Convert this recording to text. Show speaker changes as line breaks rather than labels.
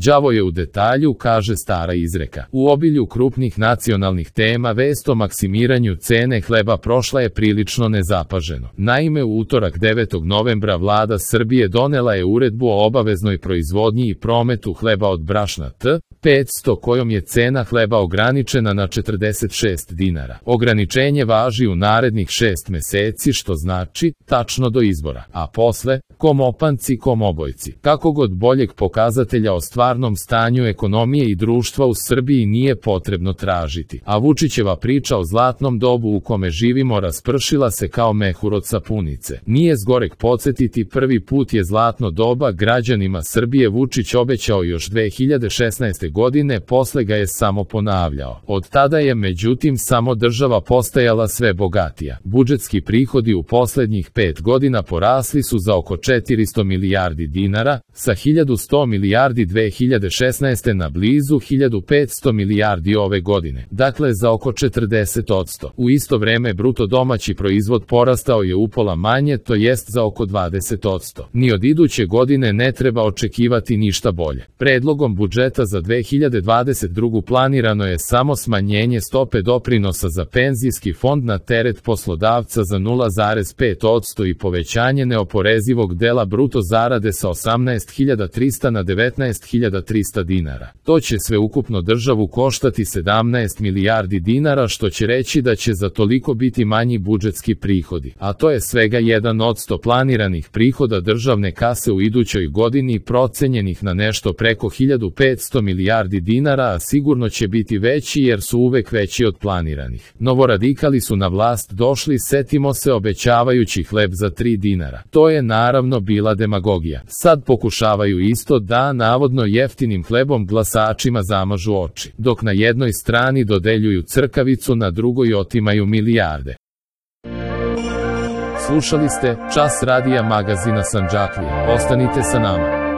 Đavo je u detalju, kaže stara izreka. U obilju krupnih nacionalnih tema vest o maksimiranju cene hleba prošla je prilično nezapaženo. Naime, u utorak 9. novembra vlada Srbije donela je uredbu o obaveznoj proizvodnji i prometu hleba od brašna T500 kojom je cena hleba ograničena na 46 dinara. Ograničenje važi u narednih 6 meseci, što znači tačno do izbora, a posle kom opanci, kom obojci. Kako god boljeg pokazatelja o stvarnom stanju ekonomije i društva u Srbiji nije potrebno tražiti, a Vučićeva priča o zlatnom dobu u kome živimo raspršila se kao mehur od sapunice. Nije zgoreg podsjetiti, prvi put je zlatno doba građanima Srbije Vučić obećao još 2016. godine, posle ga je samo ponavljao. Od tada je međutim samo država postajala sve bogatija. Budžetski prihodi u poslednjih 5 godina porasli su za oko 400 milijardi dinara, sa 1100 milijardi 2016. na blizu 1500 milijardi ove godine, dakle za oko 40%. U isto vreme bruto domaći proizvod porastao je upola manje, to jest za oko 20%. Ni od iduće godine ne treba očekivati ništa bolje. Predlogom budžeta za 2022. planirano je samo smanjenje stope doprinosa za penzijski fond na teret poslodavca za 0,5% i povećanje neoporezivog dela bruto zarade sa 18.300 na 19.300 dinara. To će sve ukupno državu koštati 17 milijardi dinara, što će reći da će za toliko biti manji budžetski prihodi, a to je svega 1% planiranih prihoda državne kase u idućoj godini, procenjenih na nešto preko 1500 milijardi dinara, a sigurno će biti veći jer su uvek veći od planiranih. Novoradikali su na vlast došli, setimo se, obećavajući hleb za 3 dinara. To je naravno bila demagogija. Sad pokušavaju isto da navodno jeftinim hlebom glasačima zamažu oči, dok na jednoj strani dodeljuju crkavicu, na drugoj otimaju milijarde. Slušali ste Čas radija magazina Sandžaklije. Ostanite sa nama.